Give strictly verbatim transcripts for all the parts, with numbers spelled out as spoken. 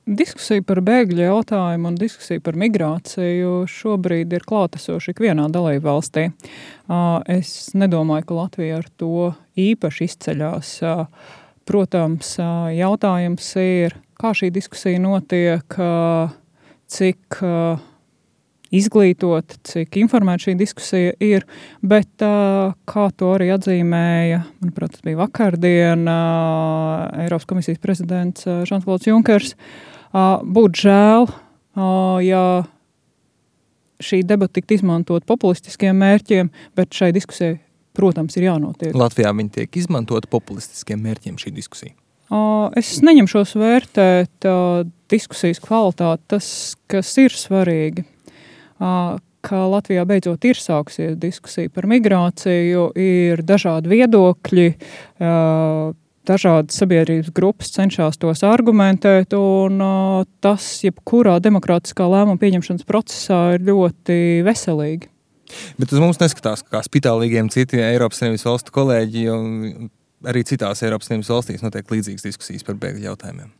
Diskusija par bēgļu jautājumu un diskusija par migrāciju šobrīd ir klātesoša ikvienā dalībvalstī. Es nedomāju, ka Latvija ar to īpaši izceļās. Protams, jautājums ir, kā šī diskusija notiek, cik izglītot, cik informēta šī diskusija ir, bet kā to arī atzīmēja, manuprāt, tas bija vakardien, Eiropas komisijas prezidents Žans-Klods Junkers, būtu žēl, ja šī debata tiktu izmantot populistiskiem mērķiem, bet šai diskusijai, protams, ir jānotiek. Latvijā viņi tiek izmantot populistiskiem mērķiem šī diskusija. Es neņemšos vērtēt diskusijas kvalitāti, tas, kas ir svarīgi, ka Latvijā beidzot ir sāksies diskusija par migrāciju, ir dažādi viedokļi, dažādas sabiedrības grupas cenšas tos argumentēt, un uh, tas, jebkurā demokrātiskā lēmuma pieņemšanas procesā, ir ļoti veselīgi. Bet uz mums neskatās kā spitālīgiem citi Eiropas Savienības valstu kolēģi, jo arī citās Eiropas Savienības valstīs notiek līdzīgas diskusijas par bēgļu jautājumiem.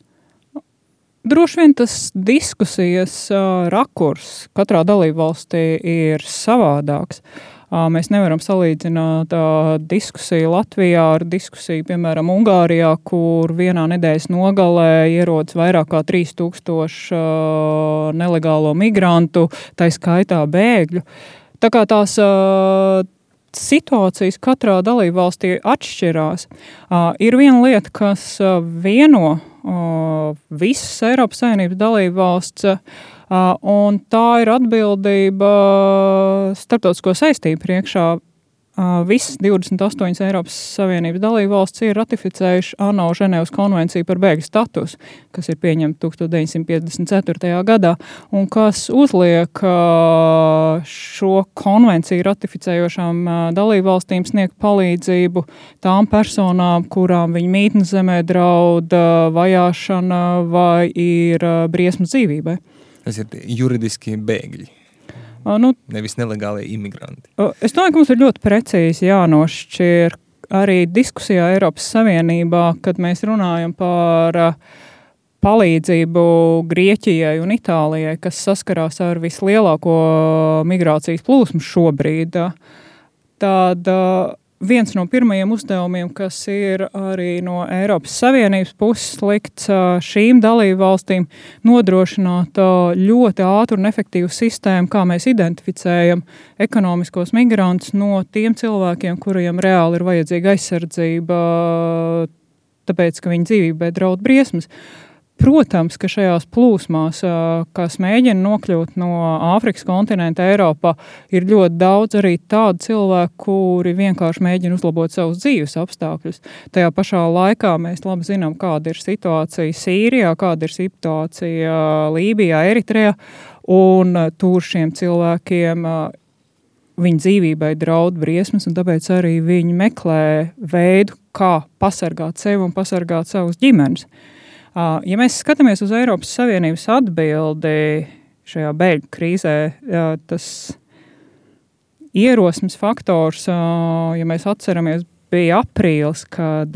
Droši vien tas diskusijas uh, rakurs katrā dalībvalstī ir savādāks. Mēs nevaram salīdzināt uh, diskusiju Latvijā ar diskusiju, piemēram, Ungārijā, kur vienā nedēļas nogalē ierodas vairāk kā trīs tūkstoši uh, nelegālo migrantu, tai skaitā bēgļu. Tā kā tās uh, situācijas katrā dalībvalstī atšķirās. Uh, ir viena lieta, kas uh, vieno uh, visas Eiropas Savienības dalībvalsts, uh, Uh, un tā ir atbildība starptautisko saistību priekšā. Uh, visas divdesmit astoņas Eiropas Savienības dalībvalstis ir ratificējuši ANO Ženēvas konvenciju par bēgļu statusu, kas ir pieņemta deviņdesmit piecdesmit ceturtajā gadā, un kas uzliek uh, šo konvenciju ratificējošām uh, dalībvalstīm sniegt palīdzību tām personām, kurām viņa mītnes zemē draud uh, vajāšana vai ir uh, briesmas dzīvībai. Tas ir juridiski bēgļi, uh, nu, nevis nelegālie imigranti. Uh, es domāju, ka mums ir ļoti precīzi jānošķir arī diskusijā Eiropas Savienībā, kad mēs runājam par uh, palīdzību Grieķijai un Itālijai, kas saskarās ar vislielāko migrācijas plūsmu šobrīd. Tad uh, viens no pirmajiem uzdevumiem, kas ir arī no Eiropas Savienības puses likts šīm dalību valstīm, nodrošināt ļoti ātru un efektīvu sistēmu, kā mēs identificējam ekonomiskos migrantus no tiem cilvēkiem, kuriem reāli ir vajadzīga aizsardzība, tāpēc, ka viņu dzīvībai draud briesmas. Protams, ka šajās plūsmās, kas mēģina nokļūt no Āfrikas kontinenta Eiropā, ir ļoti daudz arī tādu cilvēku, kuri vienkārši mēģina uzlabot savus dzīves apstākļus. Tajā pašā laikā mēs labi zinām, kāda ir situācija Sīrijā, kāda ir situācija Lībijā, Eritrejā, un tur šiem cilvēkiem viņu dzīvībai draud briesmas, un tāpēc arī viņi meklē veidu, kā pasargāt sevi un pasargāt savus ģimenes. Ja mēs skatāmies uz Eiropas Savienības atbildi šajā bēgļu krīzē, tas ierosmes faktors, ja mēs atceramies, bija aprīlis, kad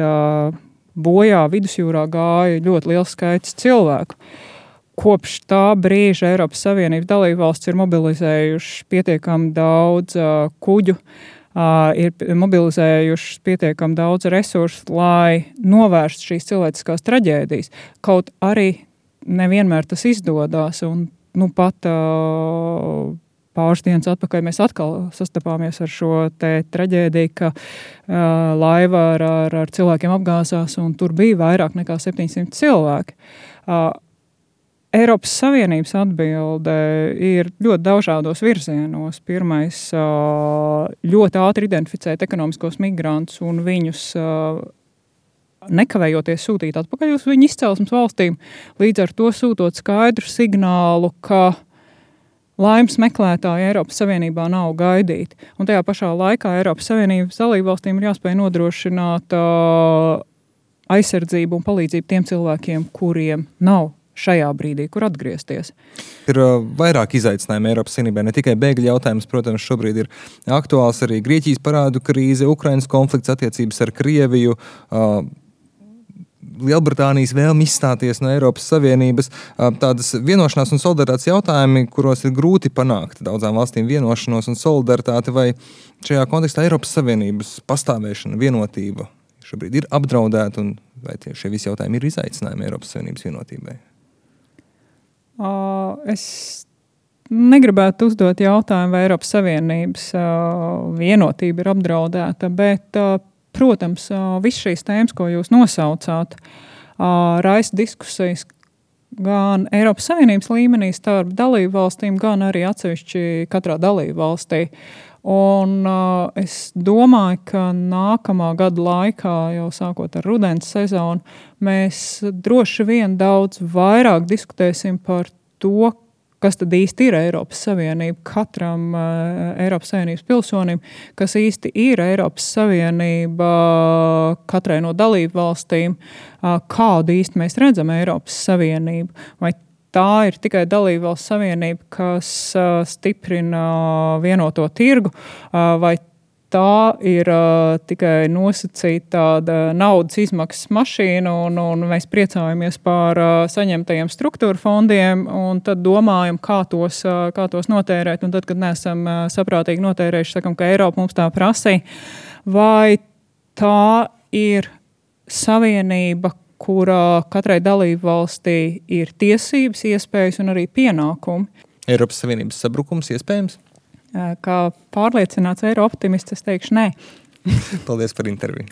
bojā vidusjūrā gāja ļoti liels skaits cilvēku. Kopš tā brīža Eiropas Savienības dalībvalstis ir mobilizējuši pietiekami daudz kuģu, Uh, ir mobilizējuši pietiekami daudz resursu, lai novērstu šīs cilvēciskās traģēdijas. Kaut arī nevienmēr tas izdodās, un nu, pat uh, pāris dienas atpakaļ mēs atkal sastapāmies ar šo te traģēdiju, ka uh, laiva ar, ar, ar cilvēkiem apgāzās, un tur bija vairāk nekā septiņsimt cilvēki. Uh, Eiropas Savienības atbilde ir ļoti dažādos virzienos. Pirmais, ļoti ātri identificēt ekonomiskos migrantus un viņus nekavējoties sūtīt atpakaļ uz viņu izcelsmes valstīm, līdz ar to sūtot skaidru signālu, ka laimes meklētāji Eiropas Savienībā nav gaidīti. Un tajā pašā laikā Eiropas Savienības dalībvalstīm ir jāspēj nodrošināt aizsardzību un palīdzību tiem cilvēkiem, kuriem nav šajā brīdī, kur atgriezties. Ir uh, vairāk izaicinājumu Eiropas Savienībai, ne tikai bēgļu jautājums, protams, šobrīd ir aktuāls arī Grieķijas parādu krīze, Ukrainas konflikts, attiecības ar Krieviju, uh, Lielbritānijas vēlmi izstāties no Eiropas Savienības, tādas vienošanās un solidaritātes jautājumi, kuros ir grūti panākt daudzām valstīm vienošanos un solidaritāti, vai šajā kontekstā Eiropas Savienības pastāvēšana, vienotība šobrīd ir apdraudēta, un vai tie šie visi jautājumi ir izaicinājumi Eiropas Savienības vienotībai? Uh, es negribētu uzdot jautājumu, vai Eiropas Savienības uh, vienotība ir apdraudēta, bet uh, protams, viss šīs tēmas, ko jūs nosaucāt, raisa diskusijas gan Eiropas Savienības līmenī starp dalību valstīm, gan arī atsevišķi katrā dalību valstī. Un uh, es domāju, ka nākamā gada laikā, jau sākot ar rudens sezonu, mēs droši vien daudz vairāk diskutēsim par to, kas tad īsti ir Eiropas Savienība katram uh, Eiropas Savienības pilsonim, kas īsti ir Eiropas Savienība katrai no dalību valstīm, uh, kādu īsti mēs redzam Eiropas Savienību. Vai tā ir tikai dalību valsts savienība, kas uh, stiprina vienoto tirgu, uh, vai tā ir uh, tikai nosacīta tāda naudas izmaksas mašīna, un, un mēs priecājamies par uh, saņemtajiem struktūra fondiem, un tad domājam, kā tos, uh, kā tos notērēt. Un tad, kad neesam uh, saprātīgi notērējuši, sakam, ka Eiropa mums tā prasīja. Vai tā ir savienība, kurā katrai dalību valstī ir tiesības, iespējas un arī pienākumi? Eiropas Savienības sabrukums iespējams? Kā pārliecināts eiro optimists, es teikšu nē. Paldies par interviju.